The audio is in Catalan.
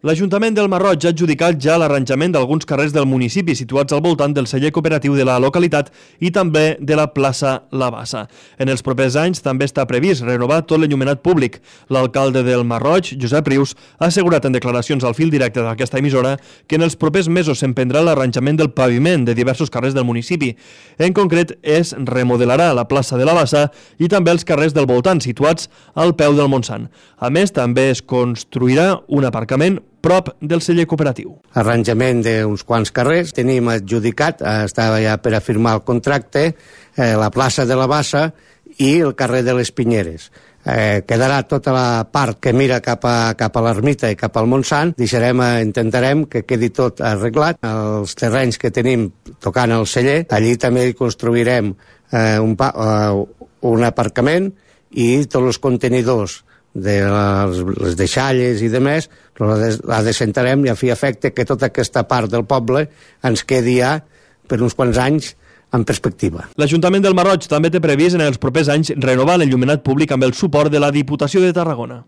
L'Ajuntament del Masroig ha adjudicat ja l'arranjament d'alguns carrers del municipi situats al voltant del celler cooperatiu de la localitat i també de la plaça La Bassa. En els propers anys també està previst renovar tot l'enllumenat públic. L'alcalde del Masroig, Josep Rius, ha assegurat en declaracions al fil directe d'aquesta emissora que en els propers mesos s'emprendrà l'arranjament del paviment de diversos carrers del municipi. En concret, es remodelarà la plaça de La Bassa i també els carrers del voltant situats al peu del Montsant. A més, també es construirà un aparcament prop del celler cooperatiu. Arranjament d'uns quants carrers. Tenim adjudicat, estava ja per a firmar el contracte, la plaça de La Bassa i el carrer de les Pinyeres. Quedarà tota la part que mira cap a l'ermita i cap al Montsant. Intentarem que quedi tot arreglat. Els terrenys que tenim tocant el celler, allí també hi construirem un aparcament i tots els contenidors de les deixalles i demés, la descentrarem i a fi efecte que tota aquesta part del poble ens quedi ja per uns quants anys en perspectiva. L'Ajuntament del Masroig també té previst en els propers anys renovar l'enllumenat públic amb el suport de la Diputació de Tarragona.